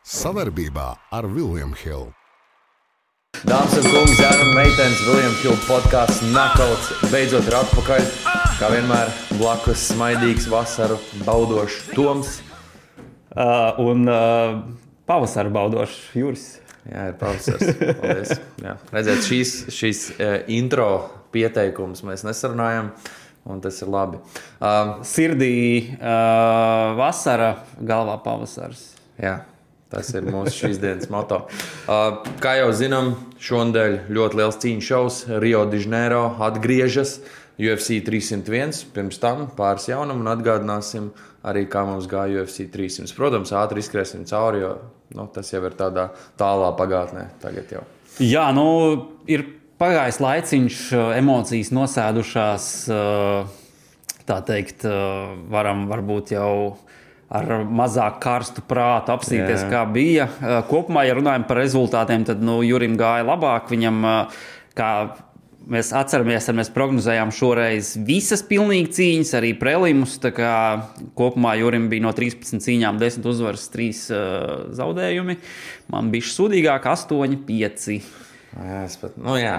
Savarbībā ar William Hill. Dāmas un kungi, zēni un meitenes, William Hill podkāsts Knockouts beidzot ir atpakaļ. Kā vienmēr, blakus smaidīgs, vasaru baudošs Toms. Pavasaru baudošs Juris. Jā, ir pavasars. Paldies. Jā. Redziet, šīs intro pieteikums mēs nesarunājam, un tas ir labi. Sirdī vasara, galvā pavasars. Jā. Tas ir mūsu šīs dienas moto. Kā jau zinām, šonadēļ ļoti liels cīņu šovs. Rio de Janeiro atgriežas UFC 301. Pirms tam pāris jaunumu un atgādināsim arī, kā mums gāja UFC 300. Protams, ātri izskriesim cauri, jo tas jau ir tādā tālā pagātnē tagad jau. Jā, ir pagājis laiciņš, emocijas nosēdušās, tā teikt, varam varbūt jau ar mazāk karstu prātu apstīties, kā bija. Kopumā, ja runājam par rezultātiem, tad Jurim gāja labāk. Viņam, kā mēs atceramies, mēs prognozējām šoreiz visas pilnīgi cīņas, arī prelimus. Tā kā kopumā Jurim bija no 13 cīņām 10 uzvaras, 3 zaudējumi. Man bija sūdīgāk 8-5. Jā.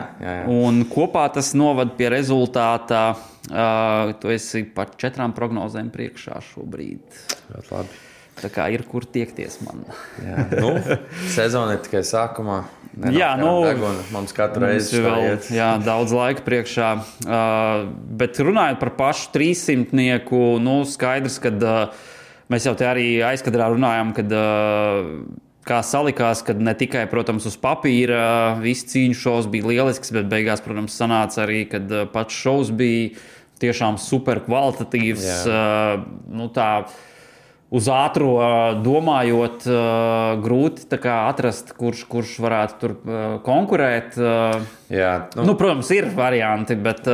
Un kopā tas novad pie rezultātā. Tu esi par 4 prognozēm priekšā šobrīd. Ļoti labi. Tā kā ir kur tiekties man. Jā, sezona ir tikai sākumā. Mums katru reizi vēl daudz laika priekšā. Bet runājot par pašu 300-nieku, skaidrs, ka mēs jau te arī aizkadrā runājām, kad kā salikās, kad ne tikai, protams, uz papīra viss cīņu šovs bija lielisks, bet beigās, protams, sanāca arī, kad pats šovs bija tiešām super kvalitatīvs. Tā uz ātro domājot, grūti atrast, kurš varētu tur konkurēt. Protams, ir varianti, bet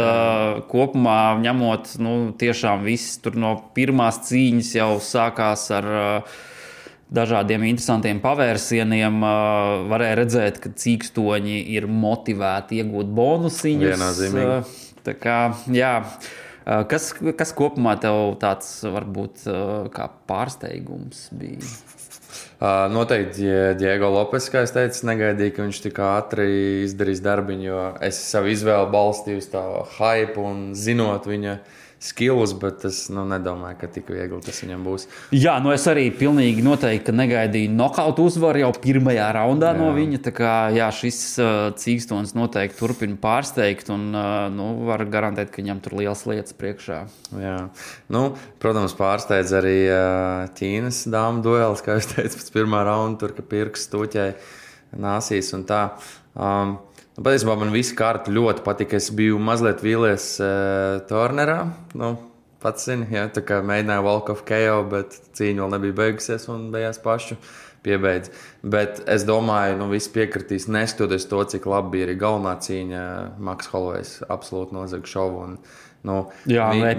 kopumā ņemot, tiešām viss tur no pirmās cīņas jau sākās ar dažādiem interesantiem pavērsieniem. Varēja redzēt, ka cīkstoņi ir motivēti iegūt bonusiņus. Viennozīmīgi. Tā kā, jā. Kas kopumā tev tāds varbūt kā pārsteigums bija? Noteikti Diego Lopes, kā es teicu, negaidīju, ka viņš tik ātri izdarīs darbiņu, jo es savu izvēlu balstīju uz tā hype un zinot viņa skills, bet es nedomāju, ka tik viegli tas viņam būs. Jā, es arī pilnīgi noteikti negaidīju nokautu uzvaru jau pirmajā raundā no viņa. Tā kā šis cīkstons noteikti turpina pārsteigt un var garantēt, ka viņam tur liels lietas priekšā. Jā. Protams, pārsteidz arī Ķīnas dāmu duelis, kā es teicu, pēc pirmā raunda, tur, ka pirksts tūķēja nāsīs un tā. Patiesībā man visa kārta ļoti patika. Es biju mazliet vīlies Turnerā. Pats zini, tā kā mēģināju walk of KO, bet cīņa vēl nebija beigusies un beigās pašu piebeidz. Bet es domāju, visi piekritīs, neskatoties to, cik labi bija arī galvenā cīņa. Maks Hollowejs absolūti nozaga šovu.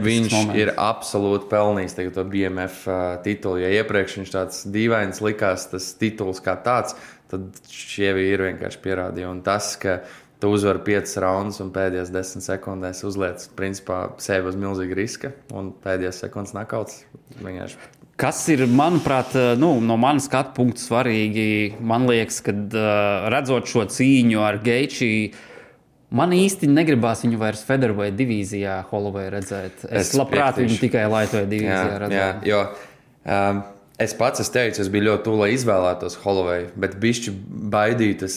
Viņš ir absolūti pelnījis to BMF titulu. Ja iepriekš viņš tāds dīvains likās, tas tituls kā tāds, tad šie vīri vienkārši pierādīja. Un tas, ka tu uzvari 5 raundus un pēdējās 10 sekundēs uzliec principā sevi uz milzīga riska un pēdējās sekundes nakauts vienkārši. Kas ir, manuprāt, no manas skatu punktu svarīgi, man liekas, kad redzot šo cīņu ar Geiči, man īsti negribās viņu vairs featherweight divīzijā Holloway redzēt. Es labprāt viņu tikai lightweight divīzijā redzētu. Jo es pats teicu, es biju ļoti tuvu, lai izvēlētos Holloway, bet bišķi baidīju tas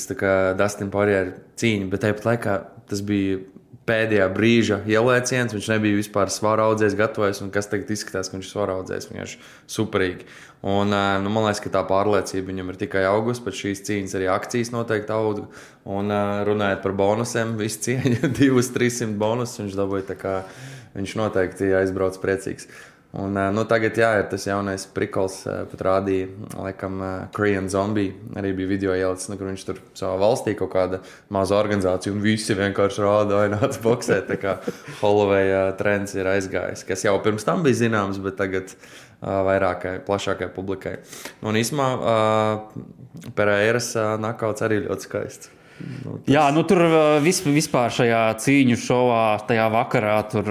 Dustin Poirier cīņu, bet tāpat laikā tas bija pēdējā brīža ielēciens, viņš nebija vispār svara audzējs gatavojas, un kas tagad izskatās, ka viņš ir svara audzējs, vienkārši superīgi. Un man liekas, ka tā pārliecība viņam ir tikai augus, pēc šīs cīņas arī akcijas noteikti auga, un runājot par bonusiem, visu cieņu 200-300 bonus, viņš dabūja tā kā, viņš noteikti aizbrauc priecīgs. Un tagad ir tas jaunais prikols, pat rādīja, laikam, Korean Zombie, arī bija video ielicis, kur viņš tur savā valstī kaut kāda maza organizācija, un visi vienkārši rāda, nāc boksēt, tā kā Holloway trends ir aizgājis, kas jau pirms tam bija zināms, bet tagad vairākai, plašākai publikai. Un īsumā Pereiras nakauts arī ļoti skaists. Jā, tur vispār šajā cīņu šovā, tajā vakarā, tur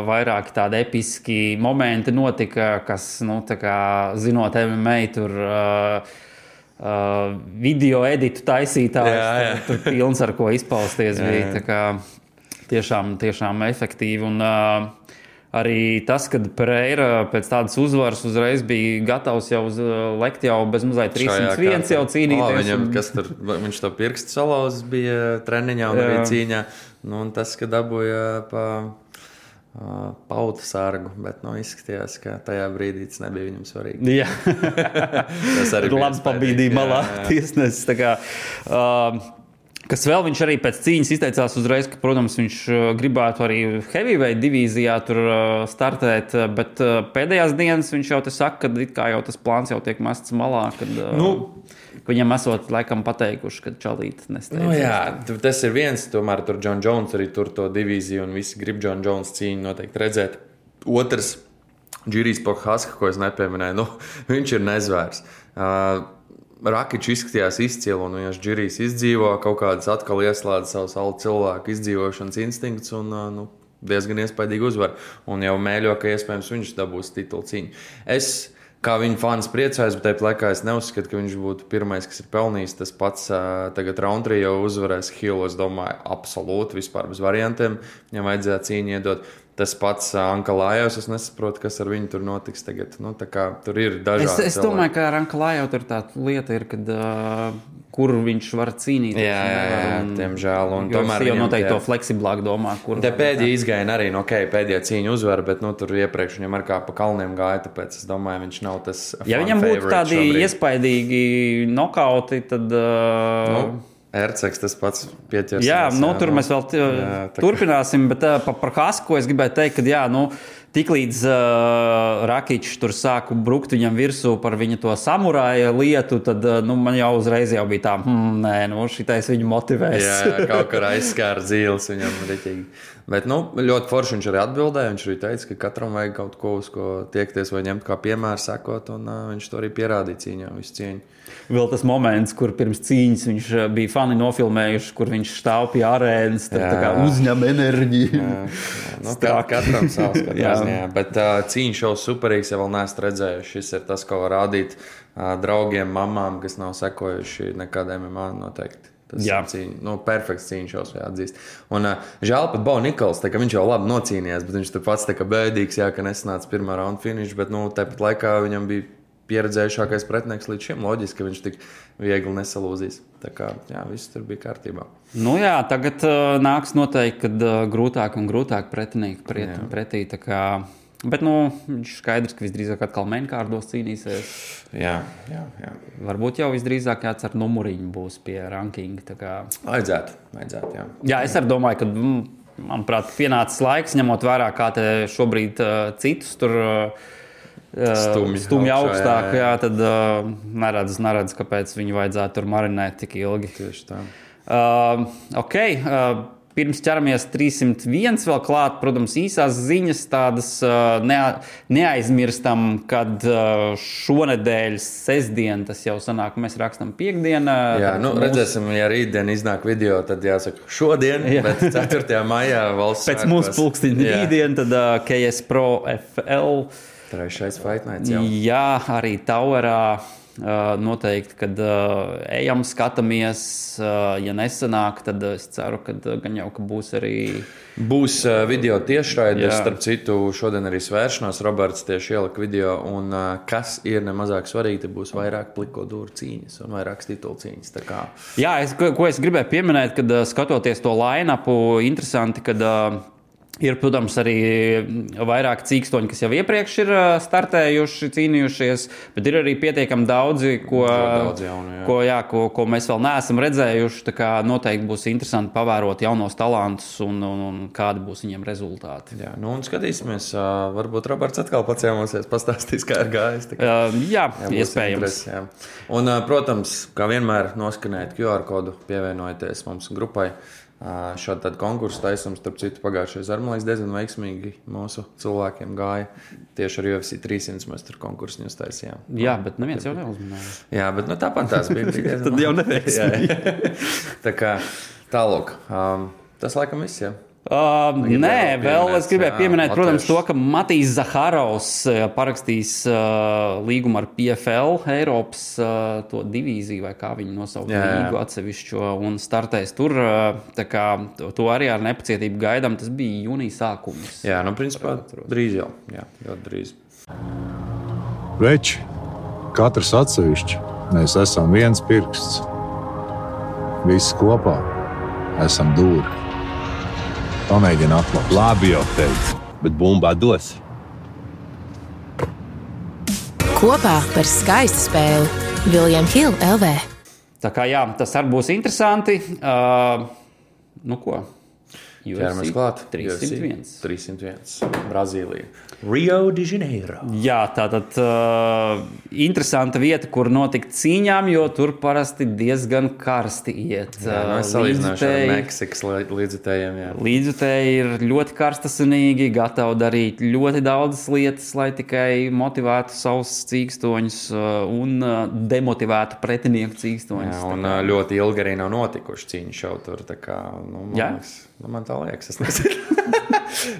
vairāki tādi episki momenti notika, kas, tā kā zinot MMA, tur video editu taisītājs. Tur pilns ar ko izpausties bija. Tā kā tiešām efektīvi. Un arī tas, kad Pereira pēc tādas uzvaras uzreiz bija gatavs jau lekt jau bez mazliet 301 jau cīnīties. Viņam, kas tur, viņš to pirkstu salauzis bija treniņā un bija cīņā. Nu, un tas, ka dabūja pa pauta sargu, bet izskatījās, ka tajā brīdī tas nebija viņam svarīgi. Jā. Tas arī bija labi pabīdīja malā tiesnesis. Kas vēl viņš arī pēc cīņas izteicās uzreiz, ka, protams, viņš gribētu arī heavyweight divīzijā tur startēt, bet pēdējās dienas viņš jau te saka, ka it kā jau tas plāns jau tiek mests malā, kad viņam esot laikam pateikuši, ka čalīt nesteidzas. Jā, tas ir viens, tomēr tur John Jones arī tur to divīziju un visi grib John Jones cīņu noteikti redzēt. Otrs, Džirijs Prohaska, ko es nepieminēju, viņš ir nezvērs. Rakičs izskatījās izcili, un viņš Džirijs izdzīvo, kaut kādas atkal ieslēdz savus alu cilvēku izdzīvošanas instinkts un diezgan iespaidīgi uzvar. Un jau mēļo, ka iespējams viņš dabūs titulu cīņu. Es kā viņa fans priecājos, bet tāpat laikā es neuzskatu, ka viņš būtu pirmais, kas ir pelnījis. Tas pats tagad Roundtree jau uzvarēs Hill, es domāju, absolūti vispār bez variantiem. Viņam vajadzēja cīņu iedot. Tas pats Ankalājos, es nesaprotu, kas ar viņu tur notiks tagad. Tā kā tur ir dažādi. Es domāju, ka ar Ankalājo tur tā lieta ir, kad kur viņš var cīnīties. Jā, tiemžēl. Un tomēr jau noteikti to fleksiblāk domā, kur. Te pēdējā izgāja arī, pēdējā cīņa uzvara, bet tur iepriekš viņam ar kā pa kalniem gāja, tāpēc es domāju, viņš nav tas ja viņam būtu tādi iespaidīgi nokauti, tad Erceks tas pats pieķersies. Jā, tur mēs vēl turpināsim, bet par Hasku es gribēju teikt, ka tiklīdz Rakičs tur sāku brukt viņam virsū par viņa to samurāja lietu, tad man jau uzreiz jau bija tā, šitais viņu motivēs. Jā, kaut kā aizskāra dzīles viņam riķīgi. Bet ļoti forši viņš arī atbildēja. Viņš arī teica, ka katram vajag kaut ko, uz ko tiekties vai ņemt kā piemēru sekot, un viņš to arī pierādīja cīņā, visu cieņu. Vēl tas moments, kur pirms cīņas viņš bija fani nofilmējuši, kur viņš stāv pie arēnas, tā kā uzņem enerģiju. Katram savs skatās. Bet cīņa šovs superīgs, ja vēl neesat redzējuši. Šis ir tas, ko var rādīt draugiem, mamām, kas nav sekojuši nekādiem MMA noteikti. Tas ir cīņa, perfekts cīņa šos jāatzīst. Un žēl pat Bo Nikols, tā ka viņš jau labi nocīnījās, bet viņš tur pats tā kā bēdīgs, ka nesanāca pirmā raunda finish, bet tāpat laikā viņam bija pieredzējušākais pretinieks līdz šim. Loģiski, ka viņš tik viegli nesalūzīs. Tā kā, viss tur bija kārtībā. Tagad nāks noteikti, kad grūtāk un grūtāk pretinieki pretī, tā kā. Bet, viņš skaidrs, ka visdrīzāk atkal mainkārdos cīnīsies. Jā. Varbūt jau visdrīzāk kāds ar numuriņu būs pie rankinga. Vajadzētu, jā. Jā, es arī domāju, ka, manuprāt, pienācis laiks, ņemot vērā, kā te šobrīd citus tur stumj augstāk, tad neredz, kāpēc viņu vajadzētu tur marinēt tik ilgi. Tieši tā. Pirms ķeramies 301 vēl klāt, protams, īsās ziņas tādas neaizmirstam, kad šonedēļ sestdien, tas jau sanāk, mēs rakstam piekdienā. Jā, redzēsim, ja rītdien iznāk video, tad jāsaka šodien, bet 4. maijā valsts pēc mūsu pulkstiņa rītdien, tad KS Pro FL. Trešais Fight Nights jau. Jā, arī Towerā. Noteikti, kad ejam, skatāmies, ja nesanāk, tad es ceru, ka gan jau, ka būs arī... Būs video tiešraides, starp citu, šodien arī svēršanās, Roberts tieši ielika video, un kas ir nemazāk svarīgi, te būs vairāk pliko dūru cīņas un vairākas titulu cīņas, tā kā... Jā, ko es gribēju pieminēt, kad skatoties to line-upu, interesanti, kad... Ir, protams, arī vairāk cīkstoņi, kas jau iepriekš ir startējuši, cīnījušies, bet ir arī pietiekami daudzi, ko mēs vēl neesam redzējuši. Tā kā noteikti būs interesanti pavērot jaunos talantus un kādi būs viņiem rezultāti. Jā, un skatīsimies, varbūt Roberts atkal paciemosies, pastāstīs, kā ir gājis. Jā, iespējams. Jā. Un, protams, kā vienmēr noskanēt QR kodu, pievienojieties mums grupai. Šādu tādu konkursu taisam, starp citu, pagājušais ar, man liekas, diezgan veiksmīgi mūsu cilvēkiem gāja. Tieši ar UFC 300 mēs tur konkursu viņus taisījām. Jā, bet neviens jau neuzmanīja. Jā, bet tāpat tās bija. Tad jau neveiksmīgi. Tā kā tālāk. Tas laikam viss, jā. Nē, vēl es gribēju pieminēt, protams, to, ka Matīs Zaharovs parakstīs līgumu ar PFL, Eiropas to divīziju, vai kā viņi nosauc līgu atsevišķo, un startēs tur. Tā kā to arī ar nepacietību gaidām, tas bija jūnija sākums. Jā, principā drīz jau. Jā, ļoti drīz. Veči, katrs atsevišķi, mēs esam viens pirksts. Visi kopā esam dūri. Pamēģini atklāt. Labi jau teicu, bet bumbā dos. Kopā par skaistu spēli William Hill LV. Tā kā jā, tas arī būs interesanti. Nu ko? Ķeramies klāt. 301. Brazīlija. Rio de Janeiro. Jā, tātad interesanta vieta, kur notikt cīņām, jo tur parasti diezgan karsti iet. Jā, es salīdzināšu ar Meksikas līdzutējiem. Līdzutēji ir ļoti karstasinīgi, gatavi darīt ļoti daudzas lietas, lai tikai motivētu savus cīkstoņus un demotivētu pretinieku cīkstoņus. Jā, un ļoti ilgi arī nav notikuši cīņu šau tur. Tā kā, man tā liekas, es nezinu.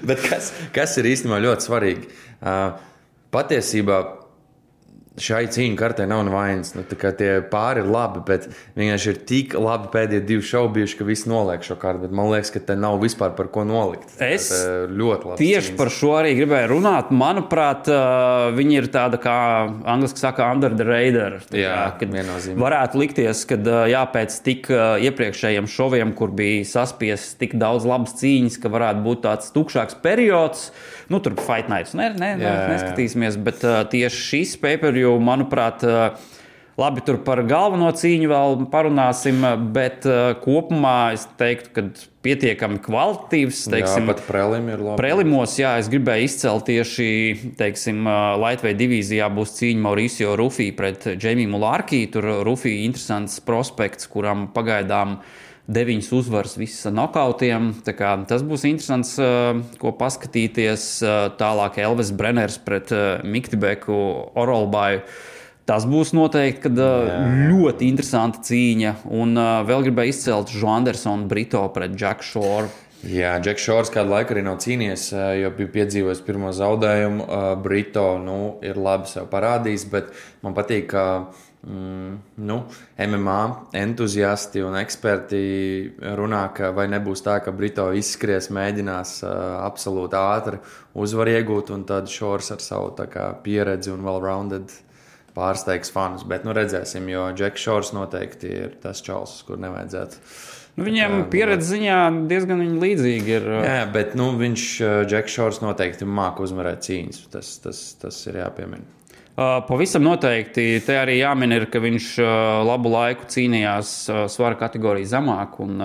Bet kas ir īstenībā ļoti svarīgi? Patiesībā šai cīņu kartē nav nevainas. Tie pāri ir labi, bet vienkārši ir tik labi pēdējie 2 šovi bijuši, ka visi noliek šo kartu. Bet man liekas, ka te nav vispār par ko nolikt. Es ļoti labi tieši par šo arī gribēju runāt. Manuprāt, viņi ir tāda, kā angliski saka, under the radar. Viennozīmīgi. Varētu likties, ka pēc tik iepriekšējiem šoviem, kur bija saspies tik daudz labas cīņas, ka varētu būt tāds tukšāks periods. Tur Fight Nights neskatīsimies, bet tieši šis pay-per-view, manuprāt, labi, tur par galveno cīņu vēl parunāsim, bet kopumā es teiktu, ka pietiekami kvalitatīvs. Teiksim, pat prelimi ir labi. Prelimos, es gribēju izcelt tieši, teiksim, Lightweight divīzijā būs cīņa Mauricio Rufī pret Jamie Mullarkey. Tur Rufī interesants prospekts, kuram pagaidām 9 uzvaras visas nokautiem. Tas būs interesants, ko paskatīties. Tālāk Elvis Brenners pret Miktibeku Orolbaju. Tas būs noteikti ļoti interesanta cīņa. Un vēl gribēju izcelt Joandersonu Brito pret Jack Shore. Jā, Jack Shores kādu laiku arī nav cīnījies, jo bija piedzīvojis pirmo zaudējumu. Brito ir labi sev parādījis, bet man patīk, ka MMA entuziasti un eksperti runā, ka vai nebūs tā, ka Brito izskries, mēģinās absolūti ātri uzvaru iegūt, un tad Shores ar savu pieredzi un well-rounded pārsteigs fanus. Bet redzēsim, jo Jack Shores noteikti ir tas čals, kur nevajadzētu. Viņiem pieredze ziņā diezgan līdzīgi ir. Jā, bet viņš, Jack Shores, noteikti māk uzvarēt cīņas. Tas ir jāpiemina. Pavisam noteikti te arī jāmin ir, ka viņš labu laiku cīnījās svara kategoriju zemāk un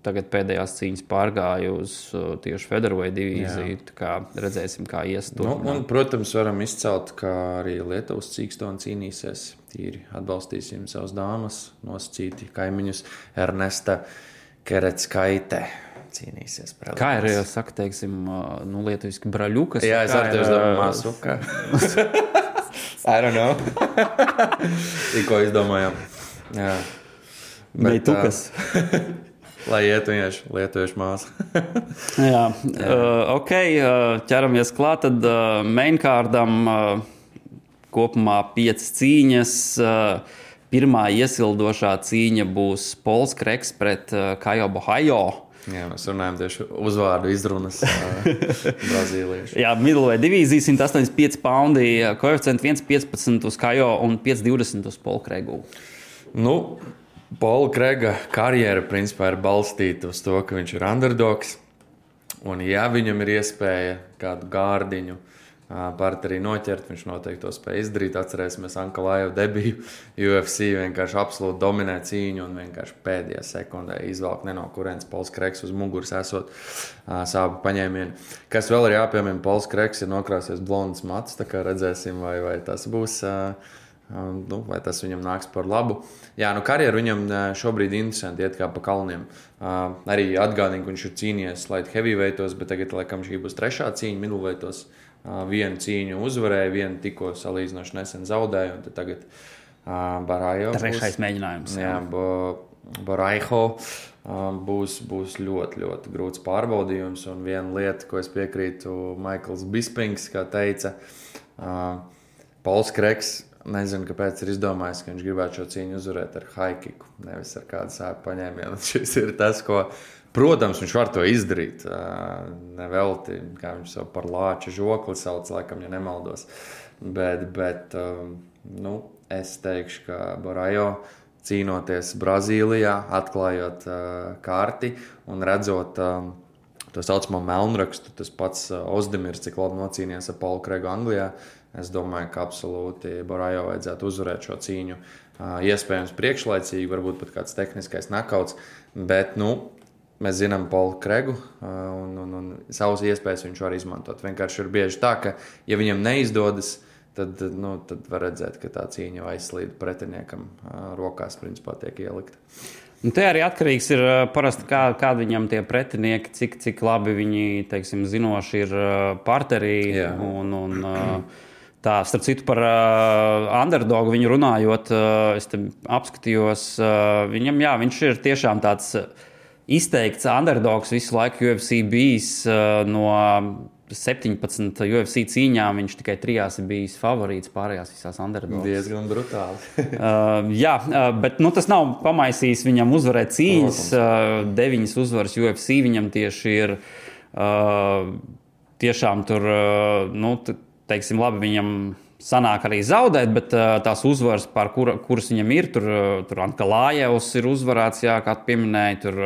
tagad pēdējās cīņas pārgāja uz tieši featherweight divīziju. Tā kā redzēsim, kā ies tur. Un, protams, varam izcelt, ka arī Lietuvas cīkstoni cīnīsies. Tīri atbalstīsim savas dāmas, nosacīti kaimiņus Ernesta Keretskaite. Cīnīsies. Kā ir, saka, teiksim, lietuviski braļukas? Jā, es ar tevi domāju māsuka. I don't know. Tikko izdomājām. Jā. Bet tukas. Lai iet vienkārši lietuviešu māsa. Jā. Ok, ķeramies klāt, tad maincardam kopumā 5 cīņas. Pirmā iesildošā cīņa būs Pols Kreks pret Caio Borralho. Jā, mēs runājam tieši uzvārdu izrunas brazīliešu. Jā, middleweight divīzija 185 paundi, koeficienti 1,15 uz Caio un 5,20 uz Polu Kregu. Pola Krega karjera principā ir balstīta uz to, ka viņš ir underdogs. Un ja viņam ir iespēja kādu gārdiņu partnerī noķert, viņš noteikti to spēja izdarīt. Atcerēsimies Ankalaevu debiju UFC, vienkārši absolūti dominē cīņu un vienkārši pēdējā sekundē izvelk ne no kurienes Pols Kreks uz muguras esot sāpu paņēmienu. Kas vēl ir jāpiemina, Pols Kreks ir nokrāsies blondas matus, tā kā redzēsim, vai tas būs, vai tas viņam nāks par labu. Jā, karjeru viņam šobrīd interesanti iet kā pa kalniem. Arī atgādina, ka viņš ir cīnījies light heavyweightos, bet tagad, laikam, šī būs 3. cīņa middleweightos. Vienu cīņu uzvarēja, vienu tikko salīdzinoši nesen zaudēja, un tad tagad Borralho 3. mēģinājums. Jā, Boraiho būs ļoti, ļoti grūts pārbaudījums. Un viena lieta, ko es piekrītu, Maikls Bispings, kā teica, Pols Kreks, nezinu, kāpēc ir izdomājis, ka viņš gribētu šo cīņu uzvarēt ar haikiku, nevis ar kādu sēpu paņēmienu. Šis ir tas, ko, protams, viņš var to izdarīt. Nevelti, kā viņš savu par lāča žokli sauc, laikam, ja nemaldos. Bet es teikšu, ka Boraiho cīnoties Brazīlijā, atklājot karti un redzot to saucamo melnrakstu, tas pats Ozdemirs, cik labi nocīnījās ar Polu Kregu Anglijā, es domāju, ka absolūti Boraiho vajadzētu uzvarēt šo cīņu. Iespējams priekšlaicīgi, varbūt pat kāds tehniskais nakauts, bet, mēs zinām Polu Kregu un savas iespējas viņš var izmantot. Vienkārši ir bieži tā, ka, ja viņam neizdodas, tad var redzēt, ka tā cīņa aizslīd pretiniekam rokās, principā tiek ielikta. Un te arī atkarīgs ir parasti, kādi viņam tie pretinieki, cik labi viņi, teiksim, zinoši ir parterī. Un tā, starp citu, par underdogu viņu runājot, es te apskatījos, viņam, viņš ir tiešām tāds izteikts underdogs visu laiku UFC bijis no 17 UFC cīņām, viņš tikai 3 ir bijis favorīts, pārējās visās underdogs. Diezgan brutāli. Bet tas nav pamaisījis viņam uzvarēt cīņas. 9 uzvaras UFC viņam tieši ir tiešām tur, teiksim, labi, viņam sanāk arī zaudēt, bet tās uzvaras, kuras viņam ir, tur Ankalājevs ir uzvarēts, kā pieminēja, tur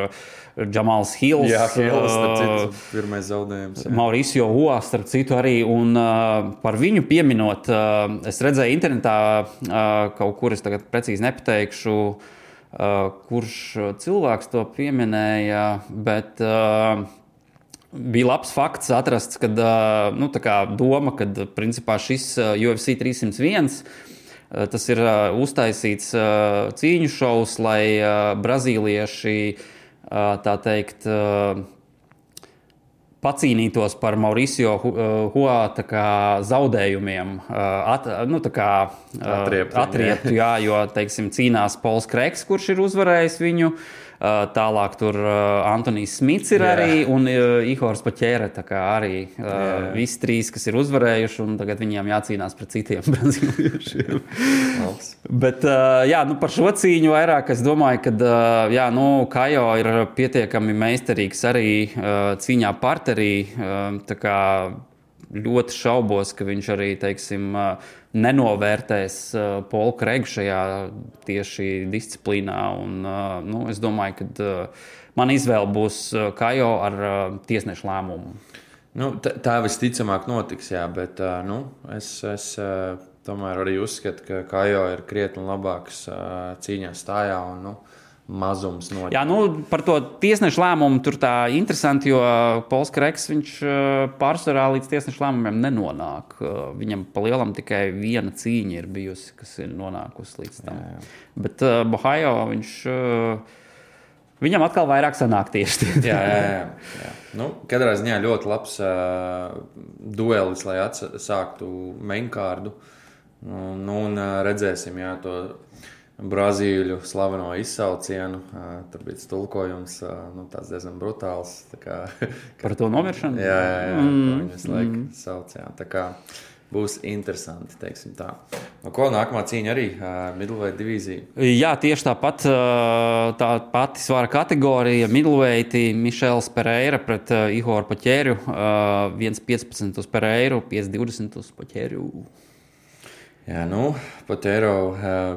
Džamals Hills. Jā, Hills, starp citu, pirmais zaudējums. Mauricio Hua, starp citu arī, un par viņu pieminot, es redzēju internetā kaut kur, es tagad precīzi nepateikšu, kurš cilvēks to pieminēja, bet bija labs fakts atrasts, kad doma, kad principā šis UFC 301, tas ir uztaisīts cīņu šovs, lai brazīlieši, tā teikt, pacīnītos par Mauricio Hua zaudējumiem, atrieptu, jo, teiksim, cīnās Pols Kreks, kurš ir uzvarējis viņu. Tālāk tur Antonijs Smits ir arī un Ihors Paķēre, tā kā arī visi 3, kas ir uzvarējuši, un tagad viņiem jācīnās pret citiem brazīliešiem. Bet, par šo cīņu vairāk es domāju, ka, Kajo ir pietiekami meistarīgs arī cīņā parterī, tā kā ļoti šaubos, ka viņš arī, teiksim, nenovērtēs Polu Kregu šajā tieši disciplīnā. Un, es domāju, ka man izvēle būs Kajo ar tiesnešu lēmumu. Tā visticamāk notiks, bet es tomēr arī uzskatu, ka Kajo ir krietni labāks cīņā stājā un mazums notiek. Jā, par to tiesnešu lēmumu tur tā interesanti, jo Pols Kreks, viņš pārsvarā līdz tiesnešu lēmumiem nenonāk. Viņam pa lielam tikai viena cīņa ir bijusi, kas ir nonākusi līdz tam. Jā. Bet Boraiho, viņam atkal vairāk sanāk tieši. Jā. Katrā ziņā ļoti labs duelis, lai sāktu mainkārdu. Un redzēsim, to Brazīļu slaveno izsaucienu. Tur bija tulkojums, tāds diezgan brutāls. Par to nomiršanu? Jā, viņas laika sauc. Tā kā būs interesanti, teiksim tā. Ko nākamā cīņa arī middleweight divīzija? Jā, tieši tāpat tā pati svara kategorija middleweight, Mišels Pereira pret Ihoru Paķēru, 1.15 uz Pereiru, 5.20 uz Paķēru. Jā, Paķēro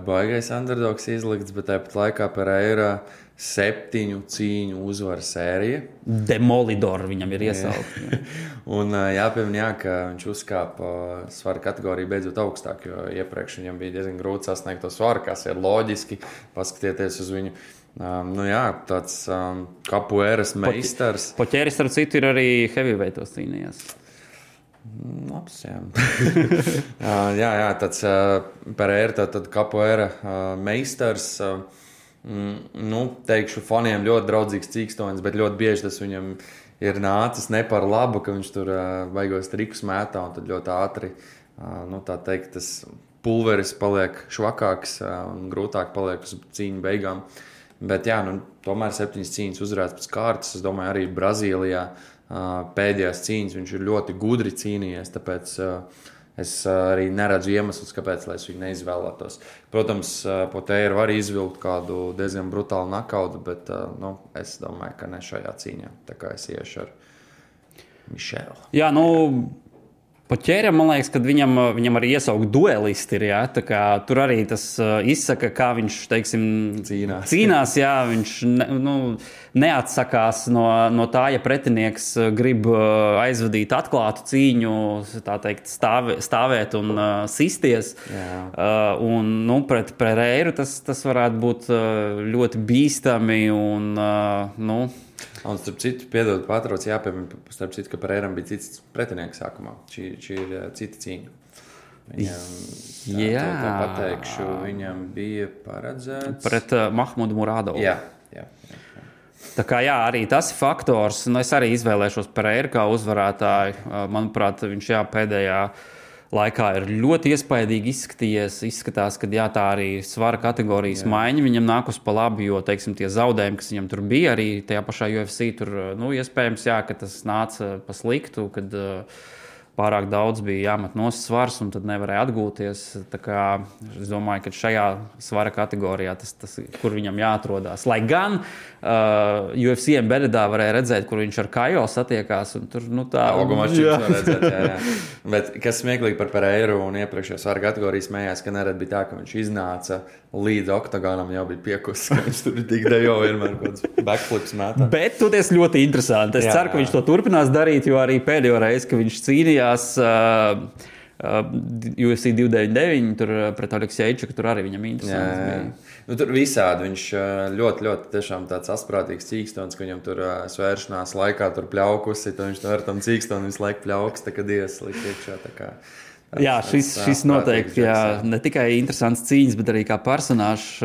baigais underdogs izlikts, bet tāpat laikā Pereira 7 cīņu uzvaru sērija. Demolidor viņam ir iesaukt. Un jāpiemina, ka viņš uzkāpa svara kategoriju beidzot augstāk, jo iepriekš viņam bija diezgan grūti sasniegt to svaru, kas ir loģiski, paskatieties uz viņu. Tāds kapuēras meistars. Paķēris, ar citu, ir arī heavyweightos cīnījās. Labs, jā, tāds Pereira, tad kapoeira meistars, teikšu, faniem ļoti draudzīgs cīkstonis, bet ļoti bieži tas viņam ir nācis ne par labu, ka viņš tur baigos trikus mētā un tad ļoti ātri, tā teikt, tas pulveris paliek švakāks un grūtāk paliek uz cīņu beigām. Bet jā, tomēr 7 cīņas uzvarēts pēc kārtas. Es domāju, arī Brazīlijā pēdējās cīņas viņš ir ļoti gudri cīnījies, tāpēc es arī neredzu iemeslus, kāpēc es viņu neizvēlētos. Protams, Potēra var izvilkt kādu diezgan brutālu nakautu, bet es domāju, ka ne šajā cīņā. Tā kā es iešu ar Mišelu. Jā, Potēram, man liekas, ka viņam arī iesaukt duelisti ir, jā, tā kā tur arī tas izsaka, kā viņš, teiksim, cīnās, jā, viņš neatsakās no tā, ja pretinieks grib aizvadīt atklātu cīņu, tā teikt, stāvēt un sisties. Un, pret Pereiru tas varētu būt ļoti bīstami un, Un starp citu, piedod pārtrauc, jāpiemina, starp citu, ka Pereiram bija cits pretinieks sākumā. Šī ir cita cīņa. Viņam, tā pateikšu, viņam bija paredzēts... Pret Mahmudu Murādovu. Jā. Tā kā jā, arī tas ir faktors. Es arī izvēlēšos Pereiru kā uzvarētāju. Manuprāt, viņš pēdējā laikā ir ļoti iespaidīgi izskatās, ka tā arī svara kategorijas maiņa viņam nākus pa labi, jo, teiksim, tie zaudējumi, kas viņam tur bija, arī tajā pašā UFC, tur, iespējams, ka tas nāca pa sliktu, kad pārāk daudz bija jāmet nost svars un tad nevarēja atgūties. Tā kā es domāju, ka šajā svara kategorijā tas kur viņam jāatrodās. Lai gan UFC Embeddedā varēja redzēt, kur viņš ar Kajo satiekās. Un tur, tā... Augumā šķiet var redzēt, jā. Bet kas smieklīgi par Pereiru un iepriekšējā svara kategorijas smējās, ka nerad bija tā, ka viņš iznāca līdz oktagonam, jau bija piekusis, ka viņš tur tik dejo vienmēr kāds backflips mētā. Bet toties ļoti interesanti. Es ceru, ka viņš to turpinās darīt, jo arī pēdējo reizi, ka viņš cīnījās UFC 299 tur pret Aleksejčuku, tur arī viņam interesants bija. Tur visādi viņš ļoti, ļoti tiešām tāds asprātīgs cīkstons, ka viņam tur svēršanās laikā tur pļaukusi, tad viņš tur ar tam cīkstonu visu laiku pļauks, tā kad ieslikt iekšā, tā kā. Jā, šis noteikti, ne tikai interesants cīņas, bet arī kā personāžs.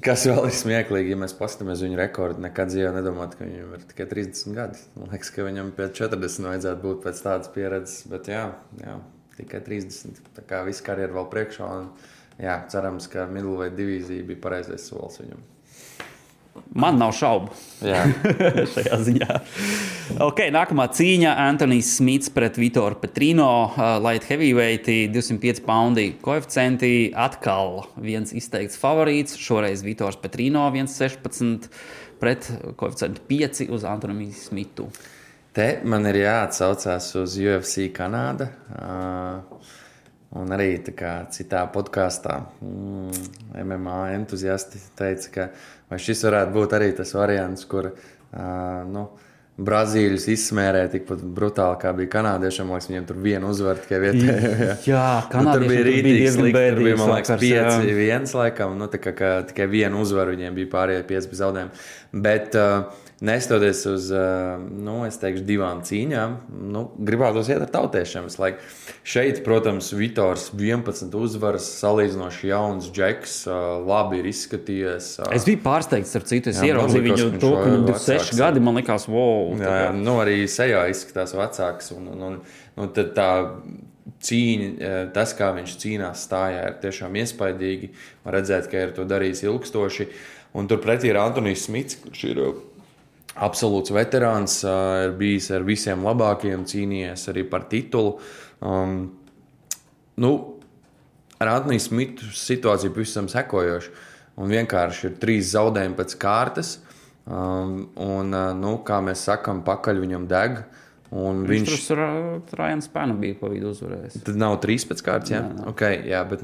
Kas vēl ir smieklīgi, ja mēs paskatāmies viņu rekordu, nekad dzīvē nedomāt, ka viņam ir tikai 30 gadi. Man liekas, ka viņam pēc 40 vajadzētu būt pēc tādas pieredzes, bet jā, tikai 30. Tā kā visu karjeru vēl priekšā un cerams, ka middleweight divīzija bija pareizais solis viņam. Man nav šaubu šajā ziņā. Nākamā cīņa Antonijs Smits pret Vitoru Petrino, light heavyweight, 205 paundi koeficienti, atkal viens izteikts favorīts, šoreiz Vitors Petrino 1,16 pret koeficientu 5 uz Antoniju Smitu. Te man ir jāatsaucās uz UFC Kanāda. Un arī tā kā citā podkastā MMA entuziasti teica, ka vai šis varētu būt arī tas variants, kur Brazīļus izsmērē tikpat brutāli, kā bija kanādiešiem. Man liekas, viņiem tur vienu uzvaru tikai vietējā. Jā, kanādiešiem tur bija diezgan bēdīgs. Tur bija, man liekas, 5-1 laikam. Tā kā tikai vienu uzvaru viņiem bija pārējie 5 bez zaudējumu. Bet nestoties uz, es teikšu, 2 cīņām, gribētos iet ar tautiešiem. Šeit, protams, Vitors 11 uzvaras, salīdzinoši jauns džeks, labi ir izskatījies. Es biju pārsteigts ar citu. Es ieraudzīju viņu to, ka viņam 26 gadi, man likās, wow. Jā, arī sejā izskatās vecāks. Un tad tā cīņa, tas, kā viņš cīnās stājā, ir tiešām iespaidīgi. Man redzēt, ka ir to darījis ilgstoši. Un turpretī ir Antonijs Smits, kurš ir absolūts veterāns, ir bijis ar visiem labākajiem, cīnījies arī par titulu. Ar Antoniju Smitu situācija pavisam sekojoša. Un vienkārši ir 3 zaudējumi pēc kārtas. Kā mēs sakam, pakaļ viņam deg. Viņš tur Ryan Spanu bija pa vidu uzvarējis. Tad nav 3 pēc kārtas, jā? Okay, jā, bet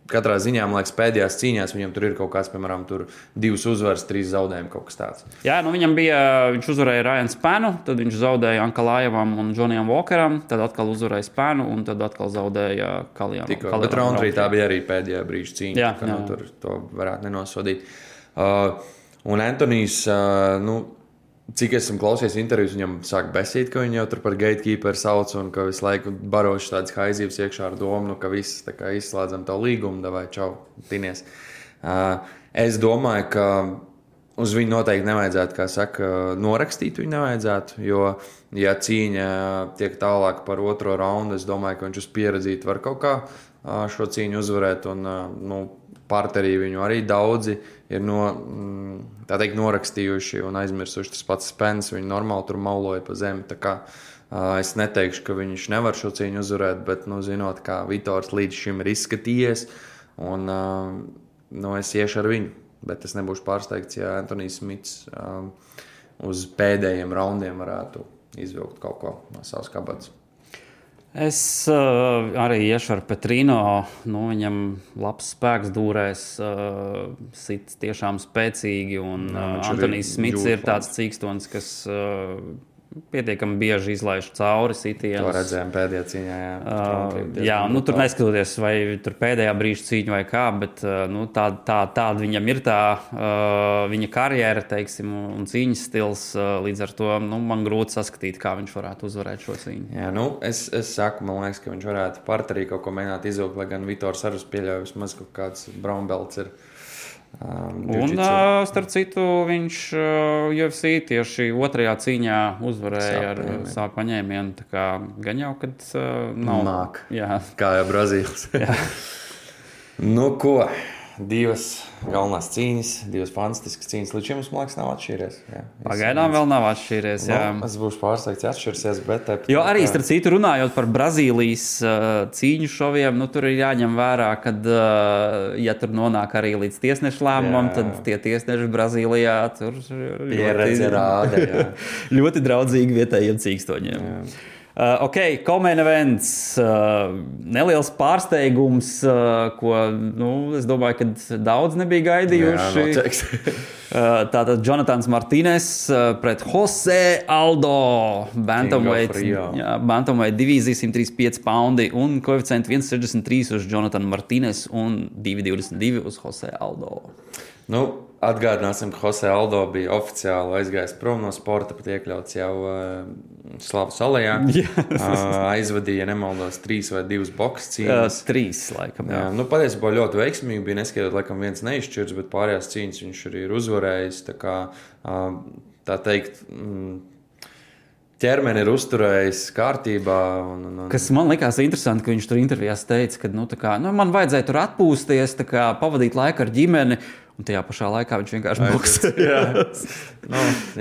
katrā ziņā, man liekas, pēdējās cīņās viņam tur ir kaut kāds, piemēram, tur 2 uzvaras, 3 zaudējumi, kaut kas tāds. Jā, viņš uzvarēja Ryan Spanu, tad viņš zaudēja Ankalājevam un Johnnyam Walkeram, tad atkal uzvarēja Spanu un tad atkal zaudēja Kalijam. Bet Roundtree tā bija arī pēdējā brīža cīņa, ka tur to varētu nenosodīt. Un Antonijs, cik esmu klausies intervijas, viņam sāk besīt, ka viņu jau tur par gatekeeper sauc un ka visu laiku baroši tādas haizības iekšā ar domu, ka viss tā kā izslēdzam to līgumu, davai čau, tinies. Es domāju, ka uz viņu noteikti nevajadzētu, kā saka, norakstīt viņu nevajadzētu, jo, ja cīņa tiek tālāk par 2. raundu, es domāju, ka viņš uz pieredzīt var kaut kā šo cīņu uzvarēt un parterī viņu arī daudzi ir tā teikt, norakstījuši un aizmirsuši. Tas pats Spence, viņi normāli tur mauloja pa zemi. Tā kā es neteikšu, ka viņš nevar šo cīņu uzvarēt, bet, zinot, kā Vitors līdz šim ir izskatījies, un es iešu ar viņu. Bet es nebūšu pārsteigts, ja Antonijs Smits uz pēdējiem raundiem varētu izvilkt kaut ko no savas kabatas. Es arī iešu ar Petrino. Viņam labs spēks dūrēs, sits tiešām spēcīgi. Un Antonijs Smits ir tāds cīkstons, kas pietiekami bieži izlaiž cauri sitienus. To redzējām pēdējā cīņā. Jā, tur neskatoties, vai tur pēdējā brīža cīņa vai kā, bet tāda viņam ir tā viņa karjera, teiksim, un cīņas stils. Līdz ar to man grūti saskatīt, kā viņš varētu uzvarēt šo cīņu. Jā, es saku, man liekas, ka viņš varētu parterī kaut ko mēģināt izvilkt, lai gan Vitors arī pieļauj vismaz kaut kāds brown belts ir. Un, starp citu, viņš UFC tieši otrajā cīņā uzvarēja ar sāku paņēmienu. Tā kā gan jau, kad nav. Māk. Jā. Kā jau Brazīls. Ko? 2 galvenās cīņas, 2 fantastiskas cīņas. Līdz šim mums, man liekas, nav atšķīries. Pagaidām vēl nav atšķīries. Es būšu pārsteigts, ja atšķirsies, bet... Jo arī, starp citu, runājot par Brazīlijas cīņu šoviem, tur ir jāņem vērā, kad, ja tur nonāk arī līdz tiesnešu lēmumam, tad tie tiesneši Brazīlijā tur pieredze rāda, jā. Ļoti draudzīgi vietējiem cīkstoņiem. Co-main events, neliels pārsteigums, ko, es domāju, ka daudz nebija gaidījuši. Tātad Jonatans Martīnes pret Jose Aldo, bantamweight divīzija 135 poundi un koeficienti 1,63 uz Jonatanu Martīnes un 2,22 uz Jose Aldo. Atgādināsim, ka Jose Aldo bija oficiāli aizgājis prom no sporta, pat iekļauts jau Slavas alejā. Aizvadīja, nemaldos, 3 vai 2 boks cīņas. 3, laikam. Jā. Patiesībā ļoti veiksmīgi bija, neskatot, laikam viens neizšķirts, bet pārējās cīņas viņš arī ir uzvarējis. Tā teikt, ķermeni ir uzturējis kārtībā. Kas man likās interesanti, ka viņš tur intervijās teica, ka man vajadzēja tur atpūsties, pavadīt laiku ar ģimeni. Un tajā pašā laikā viņš vienkārši boksē.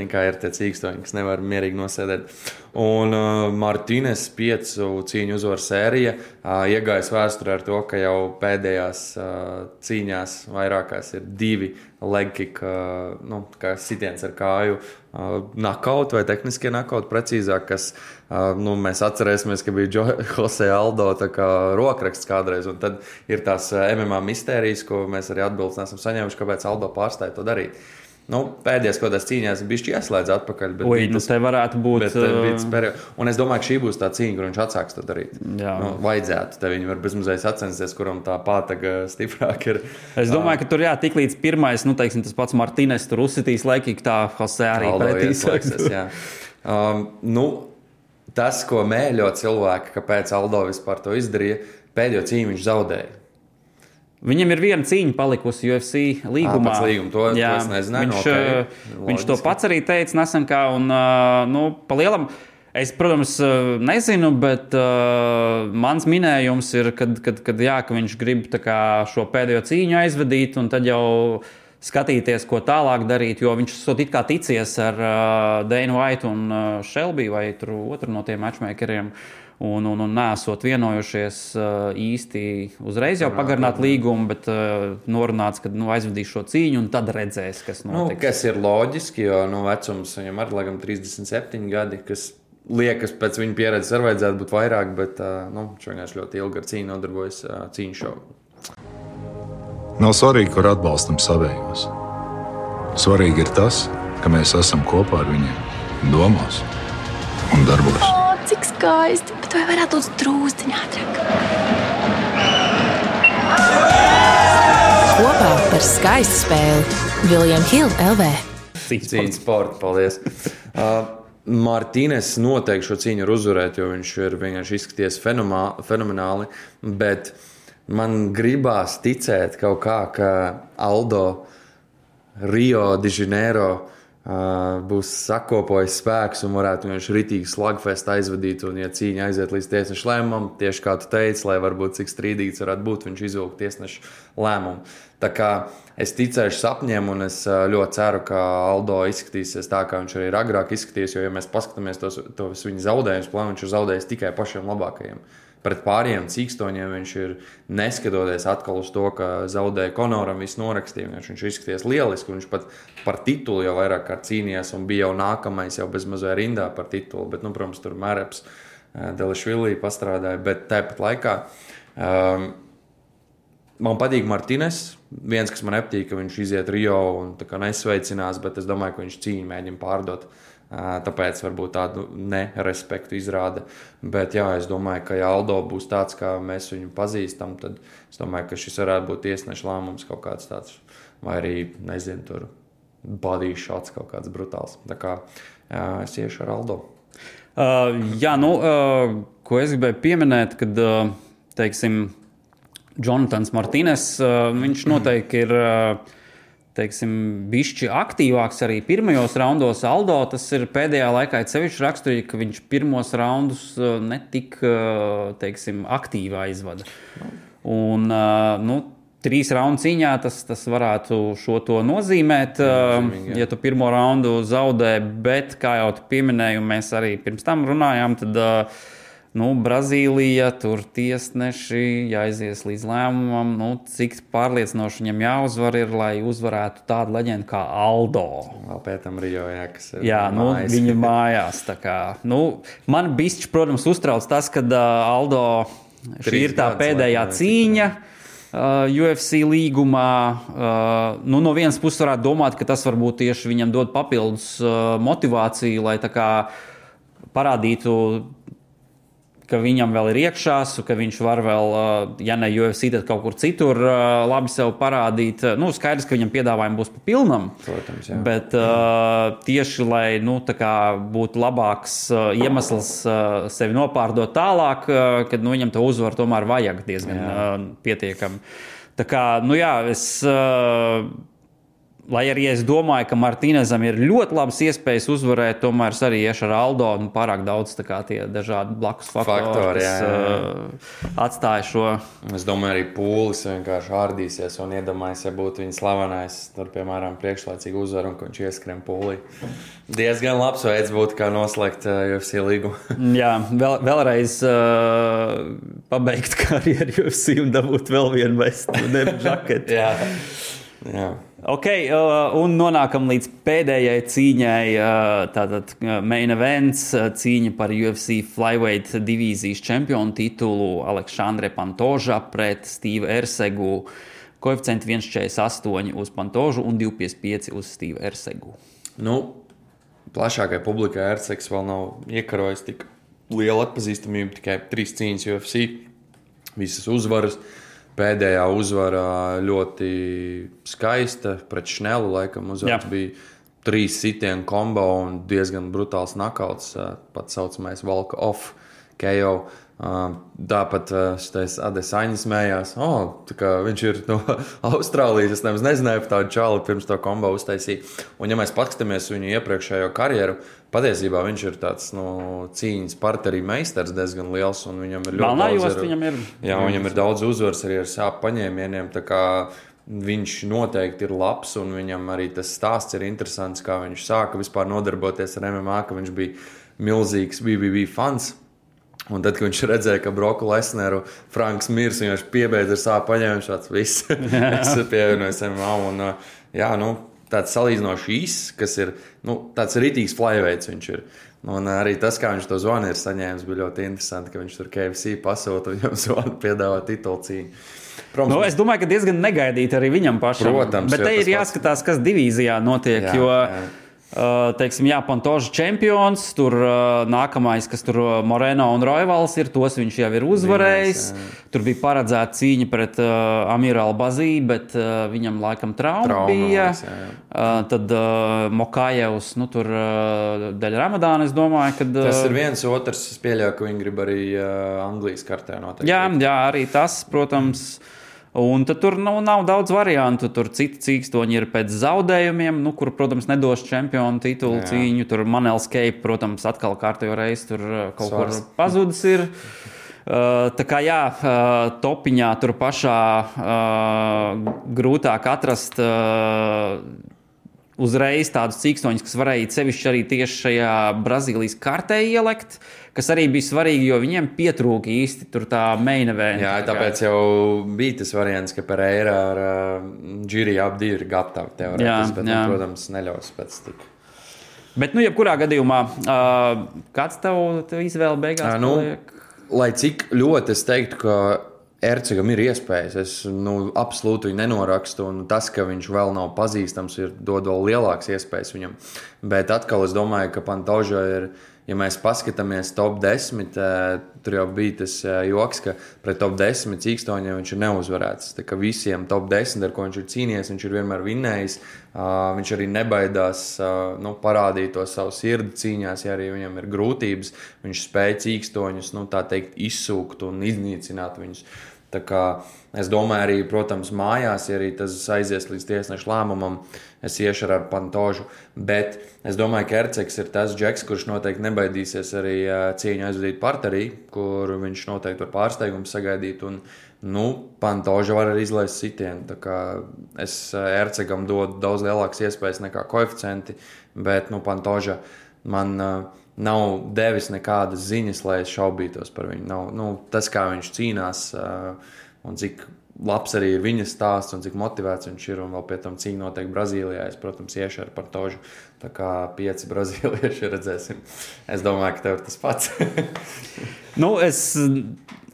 Kā ir tie cīkstoņi, kas nevar mierīgi nosēdēt. Un Martīnes 5 cīņu uzvaru sērija iegājis vēsturē ar to, ka jau pēdējās cīņās vairākās ir 2 leg kick, kā sitiens ar kāju, knockout vai tehniskie knockout precīzāk, kas mēs atcerēsimies, ka bija Jose Aldo rokraksts kādreiz, un tad ir tās MMA mistērijas, ko mēs arī atbildes nesam saņēmuši, kāpēc Aldo pārstāja to darīt. Pēdējās kodās cīņās bišķi ieslēdz atpakaļ. Te varētu būt... Un es domāju, ka šī būs tā cīņa, kur viņš atsāks to darīt. Vajadzētu. Te viņi var bezmazliet sacensties, kuram tā pātaga stiprāk ir. Es domāju, ka tur tik līdz pirmais, teiksim, tas pats Martīnes tur uzsitīs laikīgi, tā Jose arī pretīs. Tas, ko mēļo cilvēki, kāpēc Aldo vispār to izdarīja, pēdējo cīņu viņš zaudēja. Viņam ir viena cīņa palikusi UFC līgumā. To es nezināju. Viņš to pats arī teica nesen kā, un pa lielam, es, protams, nezinu, bet mans minējums ir, ka viņš grib šo pēdējo cīņu aizvadīt, un tad jau skatīties, ko tālāk darīt, jo viņš it kā ticies ar Dana White un Shelby vai otru no tiem matchmakeriem. Un neesot vienojušies īsti uzreiz jau pagarināt līgumu, bet norunāts, ka aizvadīs šo cīņu un tad redzēs, kas notiks. Kas ir loģiski, jo vecums viņam arī laikam 37 gadi, kas liekas pēc viņa pieredzes arī vajadzētu būt vairāk, bet viņš vienkārši ļoti ilgi ar cīņu nodarbojas cīņu šovu. Nav svarīgi, kur atbalstam savējos. Svarīgi ir tas, ka mēs esam kopā ar viņiem domās un darbos. Cik skaisti, bet vai varētu būt drūzdiņā ātrāk? Kopā par skaistu spēli William Hill LV. Cīņas sporta, paldies. Martīnes noteikti šo cīņu ir uzvarēt, jo viņš ir vienkārši izskaties fenomenāli, bet man gribās ticēt kaut kā, ka Aldo Rio de Janeiro būs sakopojis spēks un varētu viņš ritīgi slagfest aizvadīt, un ja cīņa aiziet līdz tiesnešu lēmumam, tieši kā tu teici, lai varbūt cik strīdīgs varētu būt, viņš izvilkt tiesnešu lēmumu. Tā kā es ticēšu sapņiem, un es ļoti ceru, ka Aldo izskatīsies tā, kā viņš arī ir agrāk izskatījies, jo, ja mēs paskatāmies tos viņa zaudējumus, viņš ir zaudējis tikai pašiem labākajiem. Pret pārējiem cīkstoņiem viņš ir neskatoties atkal uz to, ka zaudēja Konoram visu norakstījumu. Viņš izskaties lieliski, viņš pat par titulu jau vairāk kārt cīnījās un bija jau nākamais, jau bezmazliet rindā par titulu. Bet, protams, tur Mēreps, Delišvili pastrādāja, bet tāpat laikā man patīk Martines. Viens, kas man nepatīk, ka viņš iziet Rio un tā kā nesveicinās, bet es domāju, ka viņš cīņu mēģina pārdot. Tāpēc varbūt tādu nerespektu izrāda. Bet jā, es domāju, ka ja Aldo būs tāds, kā mēs viņu pazīstam, tad es domāju, ka šis varētu būt tiesneša lēmums kaut kāds tāds, vai arī, nezinu, tur body shots kaut kāds brutāls. Tā kā es iešu ar Aldo. Ko es gribēju pieminēt, kad, teiksim, Jonatans Martines, viņš noteikti ir bišķi aktīvāks arī pirmajos raundos. Aldo tas ir pēdējā laikā sevišķi raksturīgi, ka viņš pirmos raundus netik, aktīvi aizvada. Un, 3 raundu cīņā tas varētu šo to nozīmēt, ja tu pirmo raundu zaudē, bet, kā jau tu pieminēji, un mēs arī pirms tam runājām, tad Brazīlija, tur tiesneši jāizies līdz lēmumam, cik pārliecinoši viņam jāuzvar ir, lai uzvarētu tādu leģendu kā Aldo. Vēl pētam Rio, kas ir mājās. Viņa mājās. Tā kā, man bišķi, protams, uztrauc tas, kad Aldo šī ir tā pēdējā cīņa UFC līgumā. No vienas puses varētu domāt, ka tas varbūt tieši viņam dod papildus motivāciju, lai tā kā parādītu, ka viņam vēl ir iekšās, ka viņš var vēl, ja ne UFC, tad kaut kur citur labi sev parādīt. Skaidrs, ka viņam piedāvājumi būs pa pilnam. Protams, jā. Bet tieši, lai tā kā būtu labāks iemesls sevi nopārdot tālāk, kad viņam to uzvaru tomēr vajag diezgan pietiekami. Tā kā, es... Lai arī es domāju, ka Martinezam ir ļoti labas iespējas uzvarēt, tomēr es arī iešu ar Aldo un pārāk daudz tā kā tie dažādi blakus faktori, kas atstāja šo. Es domāju, arī Pūlis vienkārši ārdīsies un iedomājas, ja būtu viņa slavenais, tur, piemēram, priekšlaicīgi uzvaru un ka viņš ieskrien Pūlī. Diezgan labs veids būtu, kā noslēgt UFC līgumu. Jā, vēlreiz pabeigt karjeru UFC un dabūt vēl vienu vestu, žaketi. Jā. Ok, un nonākam līdz pēdējai cīņai, tātad main events, cīņa par UFC Flyweight divīzijas čempionu titulu Aleksandre Pantoža pret Stevu Ersegu. Koeficienti 1,48 uz Pantožu un 2,55 uz Stevu Ersegu. Plašākai publikai Ersegs vēl nav iekarojis tik lielu atpazīstamību, tikai 3 cīņas UFC, visas uzvaras. Pēdējā uzvara ļoti skaista pret Šnelu, laikam uzvars bija 3 sitienu kombo un diezgan brutāls nakauts, pat saucamais walk off KO. Tāpat Adesanya smējās, tā kā viņš ir no Austrālijas, es nemaz nezināju par tādu čāli pirms to kombo uztaisīja. Un ja mēs paskatāmies viņu iepriekšējo karjeru, patiesībā viņš ir tāds cīņas partnerī meistars diezgan liels un viņam ir ļoti viņam ir daudz uzvaras arī ar sāpu paņēmieniem, tā kā viņš noteikti ir labs un viņam arī tas stāsts ir interesants, kā viņš sāka vispār nodarboties ar MMA, ka viņš bija milzīgs BBB fans. Un tad, kad viņš redzēja, ka Broku Lesneru Franks mirs, viņš piebeidz ar sāpu paņēmumu šāds viss. Es pievienojos MMA un tāds salīdzinoši īss, kas ir tāds ritīgs flyweights viņš ir. Un arī tas, kā viņš to zvanu ir saņēmis, bija ļoti interesanti, ka viņš tur KFC pasūta un viņam zvanu piedāvā titulu cīņu. Es domāju, ka diezgan negaidīt arī viņam pašam. Protams, bet te ir jāskatās, kas divīzijā notiek, Pantoža čempions, tur nākamais, kas tur Moreno un Roivals ir, tos viņš jau ir uzvarējis. Tur bija paredzēta cīņa pret Amiru Albazī, bet viņam laikam trauma bija. Tad Mokājevs, tur dēļ Ramadāna, es domāju, kad... Tas ir viens otrs, es pieļauju, ka viņi grib arī Anglijas kartē noteikti. Jā, arī tas, protams... Un tad tur nav daudz variantu. Tur citi cīkstoņi ir pēc zaudējumiem, kur, protams, nedos čempionu titulu cīņu. Tur Manels Cape, protams, atkal kārtējo reizi tur kaut kur pazudis ir. Tā kā jā, topiņā tur pašā grūtāk atrast uzreiz tādus cīkstoņus, kas varēja sevišķi arī tieši šajā Brazīlijas kartē ielikt, kas arī bija svarīgi, jo viņiem pietrūka īsti tur tā main event. Jā, tāpēc jau bija tas variants, ka Pereira ar Džiri abi ir gatavi teorētiski, bet, protams, neļaus pēc tik. Bet, jebkurā gadījumā, kāds tev izvēle beigās paliek? Lai cik ļoti es teiktu, ka Ercegam ir iespējas, es absolūti viņu nenorakstu, un tas, ka viņš vēl nav pazīstams, dod vēl lielākas iespējas viņam. Bet atkal es domāju, ka Pantoža ir, ja mēs paskatāmies top 10, tur jau bija tas joks, ka pret top 10 cīkstoņiem viņš ir neuzvarēts. Tā kā visiem top 10, ar ko viņš ir cīnījies, viņš ir vienmēr vinnējis. Viņš arī nebaidās parādīt to savu sirdi cīņās, ja arī viņam ir grūtības. Viņš spēja cīkstoņus, tā teikt, izsūkt un iznīcināt viņus. Tā kā es domāju arī, protams, mājās, ja arī tas aizies līdz tiesneša lēmumam, es iešu ar Pantožu. Bet es domāju, ka Ercegs ir tas džeks, kurš noteikti nebaidīsies arī cīņu aizvadīt parterī, kur viņš noteikti var pārsteigumu sagaidīt. Un, Pantoža var arī izlaist sitienu. Tā kā es Ercegam dodu daudz lielākas iespējas nekā koeficienti, bet Pantoža man nav devis nekādas ziņas, lai es šaubītos par viņu. Tas, kā viņš cīnās un cik labs arī ir viņa stāsts un cik motivēts viņš ir, un vēl pie tam cīņa notiek Brazīlijā. Es, protams, iešu ar Pantožu. Tā kā 5 brazīlieši redzēsim. Es domāju, ka tev ir tas pats. Es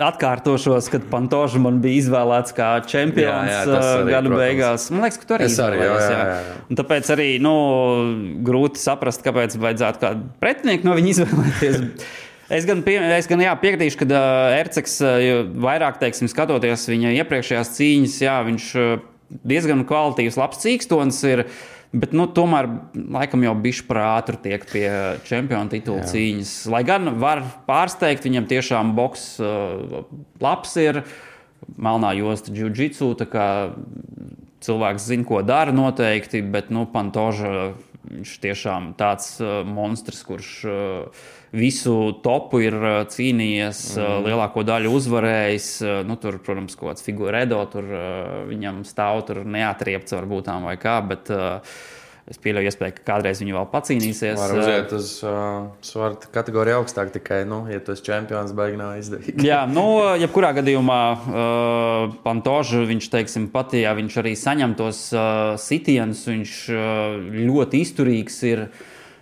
atkārtošos, kad Pantoža man bija izvēlēts kā čempions gada beigās. Man liekas, ka tu arī izvēlējies. Jā. Un tāpēc arī grūti saprast, kāpēc vajadzētu kādu pretinieku no viņa izvēlēties. Es gan piekritīšu, ka Ercegs vairāk, skatoties viņa iepriekšējās cīņas, viņš diezgan kvalitīvs, labs cīkstons ir, bet tomēr laikam jau bišķi par ātru tiek pie čempiona titula cīņas. Lai gan var pārsteigt, viņam tiešām boks labs ir, melnā josta džiu-džitsu, tā kā cilvēks zina, ko dara noteikti, bet Pantoža viņš tiešām tāds monstrs, kurš visu topu ir cīnījies, lielāko daļu uzvarējis. Tur, protams, kaut kāds Figueiredo, tur viņam stāv, tur neatriepts varbūt tām vai kā, bet es pieļauju iespēju, ka kādreiz viņu vēl pacīnīsies. Var uziet uz svarta kategoriju augstāk, tikai, ja tu esi čempions, baigi nav izdevīgi. Jā, jebkurā gadījumā Pantoža, viņš, pat ja viņš arī saņem tos sitienus, viņš ļoti izturīgs ir.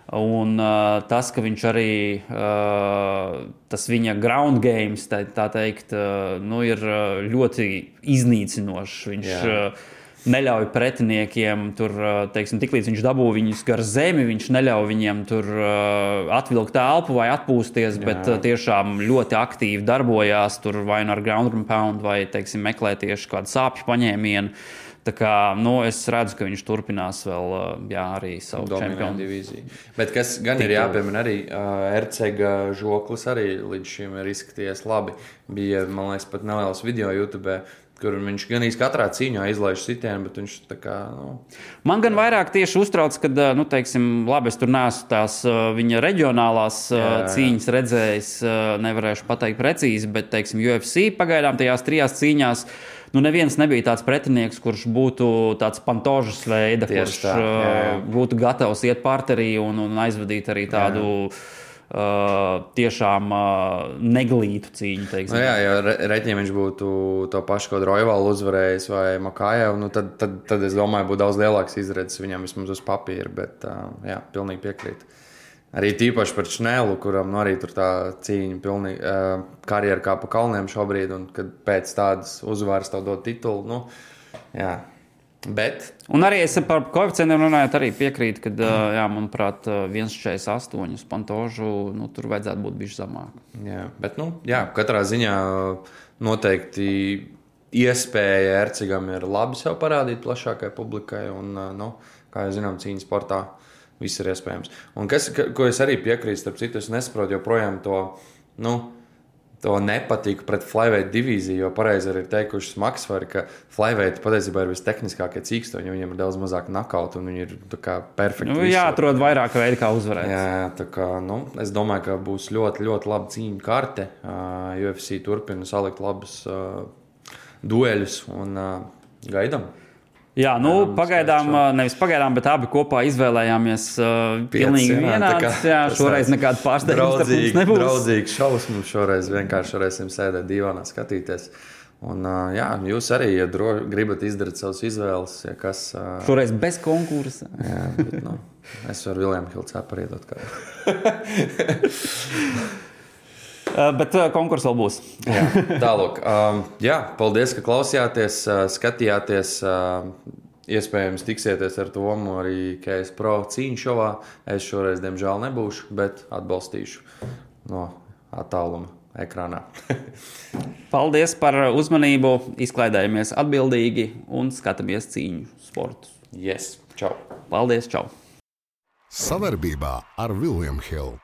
Un tas, ka viņš arī, tas viņa ground games, tā teikt, ir ļoti iznīcinošs. Viņš neļauj pretiniekiem tur, tiklīdz viņš dabū viņus gar zemi, viņš neļauj viņiem tur atvilkt elpu vai atpūsties, bet tiešām ļoti aktīvi darbojās tur vai ar ground and pound vai, meklē tieši kādu sāpju paņēmienu. Tā kā, es redzu, ka viņš turpinās vēl arī savu čempionu divīziju. Bet kas gan ir jāpiemina arī, Ercega žoklis arī līdz šim ir izskatījies labi. Bija, man liekas, pat neliels video YouTube, kur viņš gan katrā cīņā izlaiž sitienu, bet viņš tā kā, Man gan vairāk tieši uztrauc, kad, labi, es tur neesmu tās viņa reģionālās cīņas redzējis, nevarēšu pateikt precīzi, bet, UFC pagaidām tajās 3 cīņās, neviens nebija tāds pretinieks, kurš būtu tāds Pantožas veida, kurš būtu gatavs iet parterī un aizvadīt arī tādu tiešām neglītu cīņu. Ja reķiem viņš būtu to pašu kaut Roivalu uzvarējis vai Makajevu, tad es domāju, būtu daudz lielāks izredzes viņam vismaz uz papīra, bet pilnīgi piekrītu. Arī tīpaši par Šnēlu, kuram arī tur tā cīņa pilnīgi karjera kā pa kalniem šobrīd, un kad pēc tādas uzvaras tev dod titulu, bet... Un arī es par koeficientiem runājot arī piekrītu, kad, manuprāt, 1,48 uz Pantožu, tur vajadzētu būt bišķi zamāk. Jā, bet, katrā ziņā noteikti iespēja Ercegam ir labi sev parādīt plašākai publikai, un, kā jau zinām, cīņas sportā viss ir iespējams. Un ko es arī piekrītu, starp citu, es nesaprotu joprojām to, to nepatiku pret flyweight divīziju, jo pareizi arī ir teikuši smagsvari, ka flyweight patiesībā ir vistehniskākie cīkstoņi, viņiem ir daudz mazāk nakautu un viņi ir tā kā perfekti. Jāatrod vairāk veidi, kā uzvarēt. Jā, tā kā, es domāju, ka būs ļoti, ļoti laba cīņu karte. UFC turpina salikt labus dueļus un gaidām. Jā, nevis pagaidām, bet abi kopā izvēlējāmies pilnīgi vienāds. Jā, šoreiz nekāda pārsteigums nebūs. Draudzīgs šovs mums šoreiz vienkārši varēsim sēdēt divānā skatīties. Un, jā, jūs arī, ja gribat izdarīt savus izvēles, ja kas... Šoreiz bez konkursa. Jā, bet, es varu William Hill cepari iedot kādu. Bet konkurss vēl būs. Jā, tālūk. Jā, paldies, ka klausījāties, skatījāties. Iespējams, tiksieties ar Tomu arī KS Pro cīņu šovā. Es šoreiz, diemžēl, nebūšu, bet atbalstīšu no attāluma ekrānā. Paldies par uzmanību. Izklaidējamies atbildīgi un skatāmies cīņu sportus. Yes, čau. Paldies, čau. Savarbībā ar William Hill.